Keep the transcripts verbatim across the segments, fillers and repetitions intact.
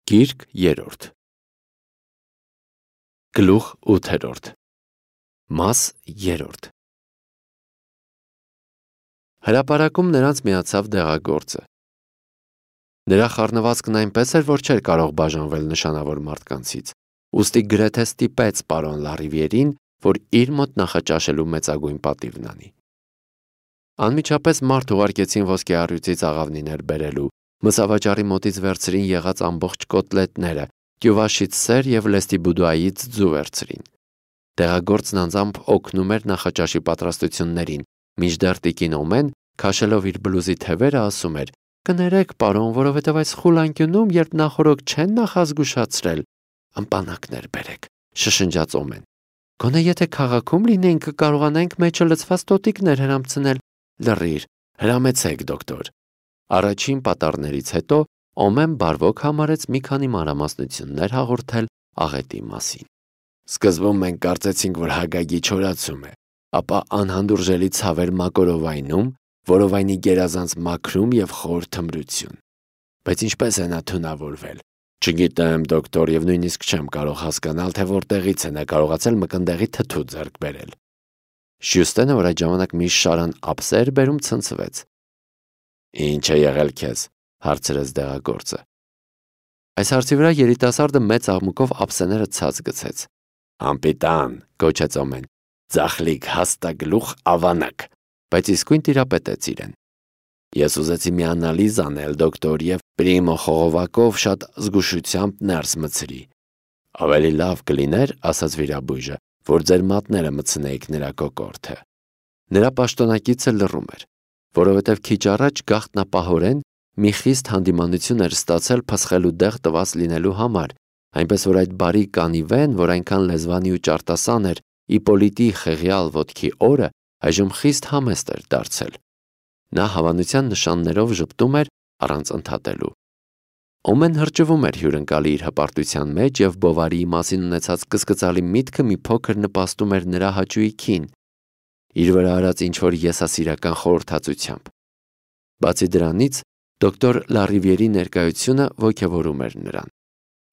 Գիրք երրորդ Գլուխ ութերորդ Մաս երրորդ Հրապարակում նրանց միացավ դեղագործը։ Նրա խառնվածքն այնպես էր, որ չէր կարող բաժանվել նշանավոր մարդկանցից, ուստի գրեթե ստիպեց պարոն Լարիվիերին, որ իր մոտ նախաճաշելու մեծագույն պատիվն անի։ Անմիջապես մարդ ուղարկեցին ոսկե առյուծից աղավնիներ բերելու, մսավաճառի մոտից վերցրին եղած ամբողջ կոտլետները, գյուվաշից սեր և լեստի բուդուայից ձու վերցրին։ Դեղագործն անձամբ օգնում էր նախաճաշի պատրաստություններին, մինչդեռ տիկին Օմեն, քաշելով իր բլուզի թևերը, ասում էր. «Կներեք, պարոն, որովհետև այս խուլ անկյունում, երբ նախօրոք չեն նախազգուշացրել, ըմպանակներ բերեք», շշնջաց Օմեն։ «Գոնե եթե քաղաքում լինեինք, կկարողանայինք մեջը լցված տոտիկներ հրամցնել»։ «Լռիր, հրամեցեք, դոկտոր»։ Առաջին պատառներից հետո Օմեն բարվոք համարեց մի քանի մանրամասնություններ հաղորդել աղետի մասին։ Սկզբում մենք կարծեցինք, որ հագագի չորացում է, ապա անհանդուրժելի ցավեր մակորովայնում, որովայնի գերազանց մաքրում և խոր թմրություն։ Բայց ինչպես է նա թունավորվել։ Չգիտեմ, դոկտոր, և նույնիսկ չեմ կարող հասկանալ, թե որտեղից է նա կարողացել մկնդեղի թթու ձեռք բերել։ Շյուստենը, որ այդ ժամանակ մի շարան ափսե էր բերում, ցնցվեց։ «Ինչ է եղել քեզ», հարցրեց դեղագործը։ Այս հարցի վրա երիտասարդը մեծ աղմուկով ափսեները ցած գցեց։ «Անպիտան», գոչեց Օմեն, «ձախլիկ հաստագլուխ ավանակ», բայց իսկույն տիրապետեց իրեն։ Ես ուզեցի մի անալիզ անել, դոկտոր, և պրիմո խողովակով շատ զգուշությամբ ներս մցրի։ Ավելի լավ կլիներ, ասաց վիրաբույժը, որ ձեր մատները մտցնեիք նրա կոկորդը։ Նրա պաշտոնակիցը լռում էր, որովհետև քիչ առաջ գաղտնապահորեն մի խիստ հանդիմանություն էր ստացել փսխելու դեղ տված լինելու համար, այնպես որ այդ բարի կանիվեն, որ այնքան լեզվանի ու ճարտասան էր Իպոլիտի խեղյալ ոտքի օրը, այժմ խիստ համեստ էր դարձել։ Նա հավանության նշաններով ժպտում էր առանց ընդհատելու։ Օմեն հրճվում էր հյուրընկալի իր հպարտության մեջ, և Բովարիի մասին ունեցած կսկծալի միտքը մի փոքր նպաստում էր նրա հաճույքին, իր վրա արած ինչ-որ եսասիրական խորհրդածությամբ։ Բացի դրանից, դոկտոր Լարիվիերի ներկայությունը ոգևորում էր նրան։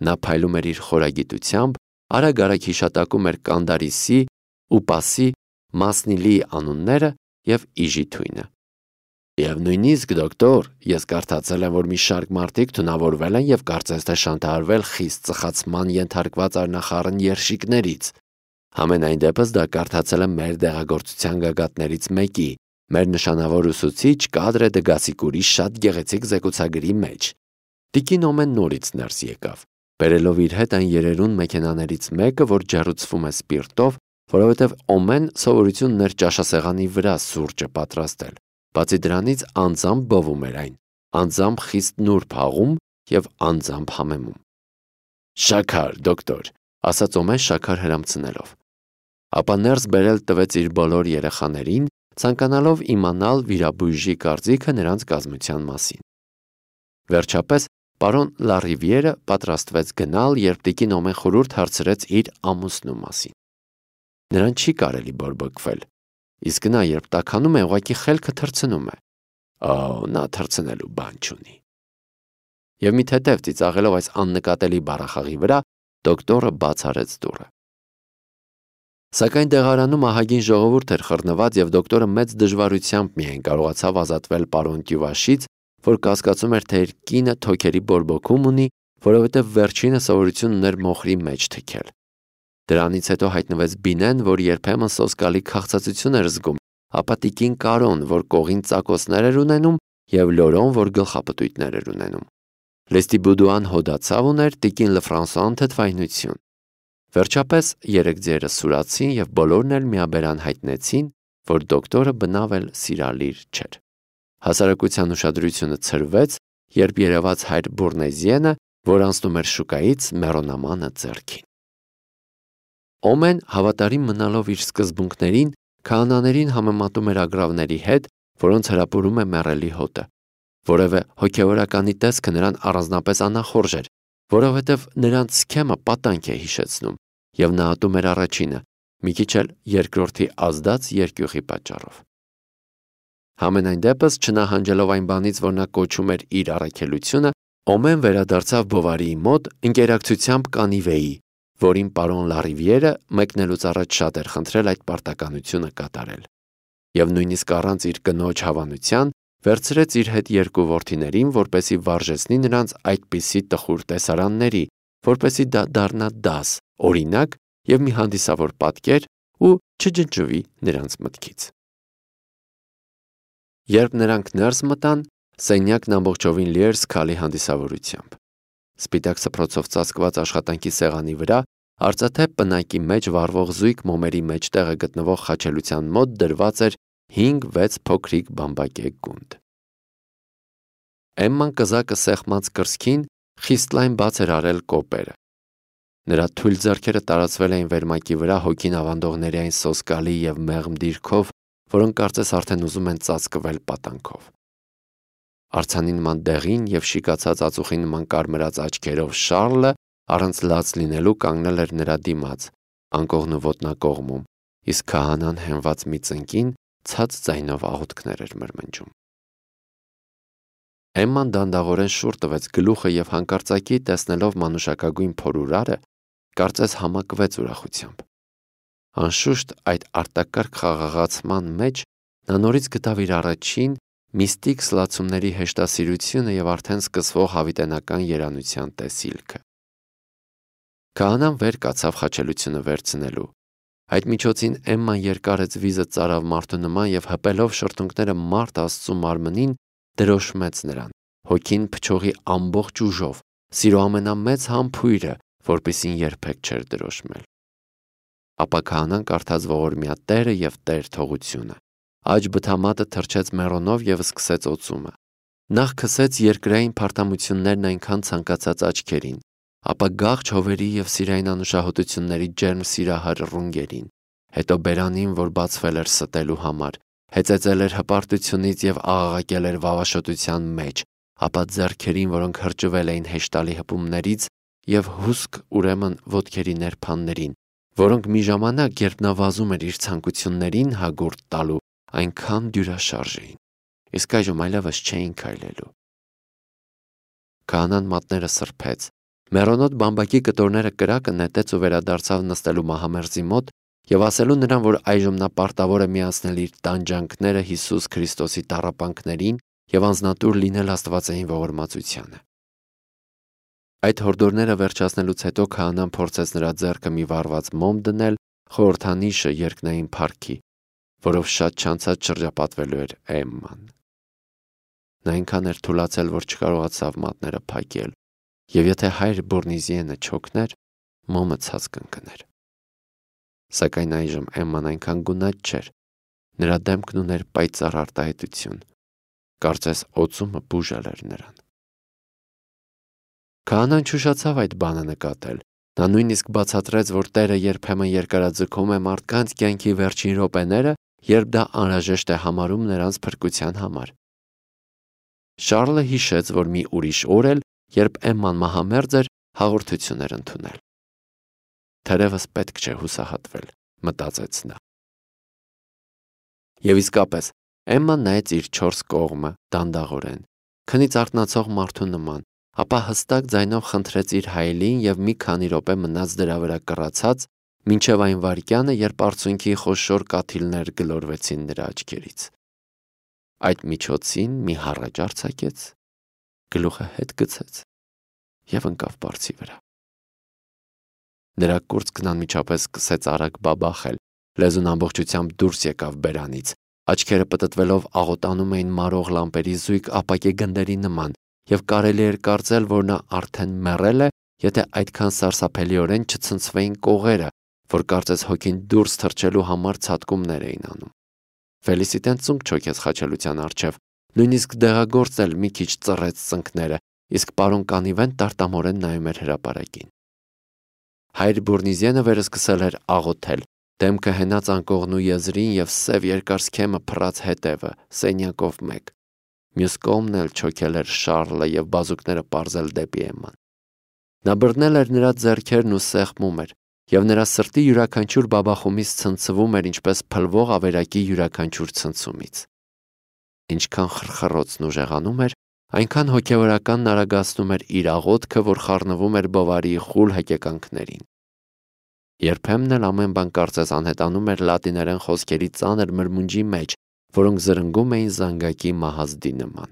Նա փայլում էր իր խորագիտությամբ, արագ-արագ հիշատակում էր Կանդարիսի, Ուպասի, Մասնիլիի անունները և իժի թույնը։ Եվ նույնիսկ, դոկտոր, ես կարդացել եմ, որ մի շարք մարդիկ թունավորվել են և կարծես թե շանտարարվել խիստ ծխացման ենթարկված առնախառն երշիկներից։ Համենայն դեպս դա կարդացել եմ մեր դեղագործության գագաթներից մեկի, մեր նշանավոր ուսուցիչ Կադրե դե Գասիկուրի շատ գեղեցիկ զեկուցագրի մեջ։ Տիկին Օմեն նորից ներս եկավ, բերելով իր հետ այն երերուն մեքենաներից մեկը, որ ջեռուցվում է սպիրտով, որովհետև Օմեն սովորություն ուներ ճաշասեղանի վրա սուրճը պատրաստել։ Բացի դրանից անձամբ բովում էր այն, անձամբ խիստ նուրբ հաղում և անձամբ համեմում։ «Շաքար, դոկտոր», ասաց Օմեն շաքար հրամցնելով։ Ապա ներս բերել տվեց իր բոլոր երեխաներին, ցանկանալով իմանալ վիրաբույժի կարծիքը նրանց կազմության մասին։ Վերջապես պարոն Լարիվիերը պատրաստվեց գնալ, երբ տիկին Օմեն խորհուրդ հարցրեց իր ամուսնու մասին։ Նրան չի կարելի բորբոքվել, իսկ նա, երբ տաքանում է, ուղղակի խելքը թռցնում է։ Օ, նա թռցնելու բան չունի։ Եվ մի թեթև ծիծաղելով այս աննկատելի բառախաղի վրա, դոկտորը բաց արեց դուռը։ Սակայն դեղարանում ահագին ժողովուրդ էր խռնված, և դոկտորը մեծ դժվարությամբ միայն կարողացավ ազատվել պարոն Տյուվաշից, որ կասկածում էր, թե իր կինը թոքերի բորբոքում ունի, որովհետև վերջինը սովորություն ուներ մոխրի մեջ թքել։ Դրանից հետո հայտնվեց Բինեն, որ երբեմն սոսկալի քաղցածություն էր զգում, ապա տիկին Կարոն, որ կողին ծակոցներ էր ունենում, և Լորոն, որ գլխապտույտներ էր ունենում։ Լեստի Բուդուան հոդացավ ուներ, տիկին Լֆրանսուան թթվայնություն։ Վերջապես երեք ձիերը սուրացին, և բոլորն էլ միաբերան հայտնեցին, որ դոկտորը բնավ էլ սիրալիր չէր։ Հասարակության ուշադրությունը ցրվեց, երբ երևաց հայր Բուրնեզիենը, որ անցնում էր շուկայից մեռոնամանը ձեռքին։ Օմեն, հավատարիմ մնալով իր սկզբունքներին, քահանաներին համեմատում էր ագռավների հետ, որոնց հրապուրում է մեռելի հոտը։ Որևէ հոգևորականի տեսքը նրան առանձնապես անախորժ էր, որովհետև նրանց սքեմը պատանք է հիշեցնում, և նա ատում էր առաջինը, մի քիչ էլ երկրորդի ազդած երկյուղի պատճառով։ Համենայն դեպս, չնահանջելով այն բանից, որ նա կոչում էր իր առաքելությունը, Օմեն վերադարձավ Բովարիի մոտ ընկերակցությամբ կանիվեի, որին պարոն Լարիվիերը մեկնելուց առաջ շատ էր խնդրել այդ պարտականությունը կատարել, և նույնիսկ առանց իր կնոջ հավանության վերցրեց իր հետ երկու որդիներին, որպեսզի վարժեցնի նրանց այդպիսի տխուր տեսարանների, որպեսզի դա դառնա դաս, օրինակ և մի հանդիսավոր պատկեր ու չջնջվի նրանց մտքից։ Երբ նրանք ներս մտան, սենյակն ամբողջովին լի էր զգալի հանդիսավորությամբ։ Սպիտակ սփռոցով ծածկված աշխատանքի սեղանի վրա արծաթե պնակի մեջ վառվող զույգ մոմերի մեջտեղը գտնվող խաչելության մոտ դրված էր հինգ-վեց փոքրիկ բամբակե գունդ։ Էմման կզակը սեղմած կրծքին խիստ լայն բաց էր արել կոպերը։ Նրա թույլ ձեռքերը տարածվել էին վերմակի վրա հոգին ավանդողների այն սոսկալի և մեղմ դիրքով, որոնք կարծես արդեն ուզում են ծածկվել պատանքով։ Արձանի նման դեղին և շիկացած ածուխի նման կարմրած աչքերով Շառլը առանց լաց լինելու կանգնել էր նրա դիմաց, անկողն ու ոտնակողմում, իսկ քահանան հենված մի ծնկին ցած ձայնով աղոթքներ էր մրմնջում։ Էմման դանդաղորեն շուռ տվեց գլուխը և հանկարծակի տեսնելով մանուշակագույն փորուրարը, կարծես համակվեց ուրախությամբ։ Անշուշտ այդ արտակարգ խաղաղացման մեջ նա նորից գտավ իր առաջին միստիկ սլացումների հեշտասիրությունը և արդեն սկսվող հավիտենական երանության տեսիլքը։ Քահանան վեր կացավ խաչելությունը վերցնելու։ Այդ միջոցին Էմման երկարեց վիզը ծարավ մարդու նման և հպելով շրթունքները մարդ Աստծու մարմնին դրոշմեց նրան, հոգին փչողի ամբողջ ուժով, սիրո ամենամեծ համբույրը, որպեսզի երբեք չէր դրոշմել։ Ապա քահանան կարդաց ողորմյա Տերը և Տեր թողությունը, աջ բթամատը թռչեց մեռոնով և սկսեց օծումը։ Նախ քսեց երկրային փարթամություններն այնքան ցանկացած աչքերին, ապա գաղջ հովերի և սիրային անուշահոտությունների ջերմ սիրահար ռունգերին, հետո բերանին, որ բացվել էր ստելու համար, հեծեծել էր հպարտությունից և աղաղակել էր վավաշոտության մեջ, ապա ձեռքերին, որոնք հրճվել էին հեշտալի հպումներից, և հուսք ուրեմն ոտքերի ներփաններին, որոնք մի ժամանակ, երբ նա վազում էր իր ցանկություններին հագուրդ տալու, այնքան դյուրաշարժ էին, իսկ այժմ այլևս չէին քայլելու։ Քահանան մատները սրբեց, մեռոնոտ բամբակի կտորները կրակը նետեց ու վերադարձավ նստելու մահամերձի մոտ և ասելու նրան, որ այժմ նա պարտավոր է միացնել իր տանջանքները Հիսուս Քրիստոսի տառապանքներին և անձնատուր լինել աստվածային ողորմածությանը։ Այդ հորդորները վերջացնելուց հետո քահանան փորձեց նրա ձեռքը մի վառված մոմ դնել խորհրդանիշը երկնային փառքի, որով շատ չանցած շրջապատվելու էր Էմման։ Նա այնքան էր թուլացել, որ չկարողացավ մատները փակել, և եթե հայր Բորնիզիենը չօգներ, մոմը ցած կընկներ։ Սակայն այժմ Էմման այնքան գունատ չէր, նրա դեմքն ուներ պայծառ արտահայտություն, կարծես օծումը բուժել էր նրան։ Քահանան չուշացավ այդ բանը նկատել, նա նույնիսկ բացատրեց, որ Տերը երբեմն երկարաձգում է մարդկանց կյանքի վերջին րոպեները, երբ դա անհրաժեշտ է համարում նրանց փրկության համար։ Շառլը հիշեց, որ մի ուրիշ օր էլ, երբ Էմման մահամերձ էր, հաղորդություն էր ընդունել։ Թերևս պետք չէ հուսահատվել, մտածեց նա։ Եվ իսկապես, Էմման նայեց իր չորս կողմը դանդաղորեն, քնից արթնացող մարդու նման, ապա հստակ ձայնով խնդրեց իր հայելին և մի քանի րոպե մնաց դրա վրա կռացած, մինչև այն վայրկյանը, երբ արցունքի խոշոր կաթիլներ գլորվեցին նրա աչքերից։ Այդ միջոցին մի հառաչ արձակեց, գլուխը հետ գցեց և ընկավ բարձի վրա։ Նրա կուրծքն անմիջապես սկսեց արագ բաբախել, լեզուն ամբողջությամբ դուրս եկավ բերանից, աչքերը պտտվելով աղոտանում էին մարող լամպերի զույգ ապակե գնդերի նման, և կարելի էր կարծել, որ նա արդեն մեռել է, եթե այդքան սարսափելիորեն չցնցվեին կողերը, որ կարծես հոգին դուրս թռչելու համար ցատկումներ էին անում։ Ֆելիսիտեն ծունկ չոքեց խաչելության առջև, նույնիսկ դեղագործն էլ մի քիչ ծռեց ծնկները, իսկ պարոն Կանիվեն տարտամորեն նայում էր հրապարակին։ Հայր Բորնիզիենը վերսկսել էր աղոթել, դեմքը հենած անկողնու եզրին և սև երկար սքեմը փռած հետևը, սենյակով մեկ։ Մյուս կողմն էլ չոքել էր Շառլը և բազուկները պարզել դեպի Էմման։ Նա բռնել էր նրա ձեռքերն ու սեղմում էր, և նրա սրտի յուրաքանչյուր բաբախումից ցնցվում էր ինչպես փլվող ավերակի յուրաքանչյուր ցնցումից։ Ինչքան խրխռոցն ուժեղանում էր, Այնքան հոգևորական արագացնում էր իր աղոթքը, որ խառնվում էր Բովարիի խուլ հեկեկանքներին։ Երբեմն էլ ամեն բան կարծես անհետանում էր լատիներեն խոսքերի ծանր մրմունջի մեջ, որոնք զրնգում էին զանգակի մահազդի նման։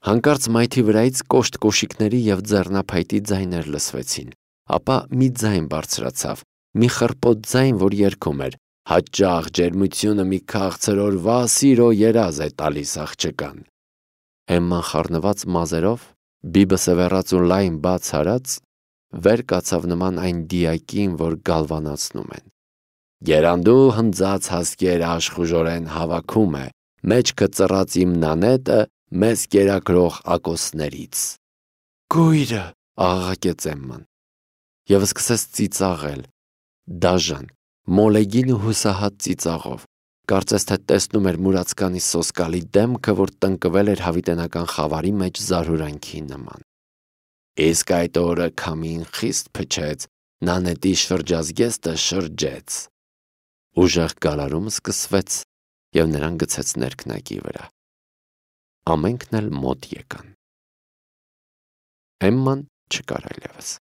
Հանկարծ մայթի վրայից կոշտ կոշիկների և ձեռնափայտի ձայներ լսվեցին, ապա մի ձայն բարձրացավ, մի խռպոտ ձայն, որ երգում էր. «Հաճախ ջերմությունը մի քաղցր օրվա սիրո երազ է տալիս աղջկան»։ Էմման խառնված մազերով, բիբը սևեռած ու լայն բաց արած, վեր կացավ նման այն դիակին, որ գալվանացնում են։ «Գերանդու հնձած հասկեր աշխուժորեն հավաքում է, մեջքը ծռած իմ նանետը մեզ կերակրող ակոսներից»։ «Կույրը», աղաղակեց Էմման և սկսեց ծիծաղել, դաժան, մոլեգին ու հուսահատ ծիծաղով, կարծես թե տեսնում էր մուրացկանի սոսկալի դեմքը, որ տնկվել էր հավիտենական խավարի մեջ զարհուրանքի նման։ Իսկ այդ օրը քամին խիստ փչեց, նանետի շրջազգեստը շրջեց։ Ուժեղ գալարում սկսվեց, և նրան գցեց ներքնակի վրա։ Ամենքն էլ մոտ եկան։ Էմման չկար այլևս։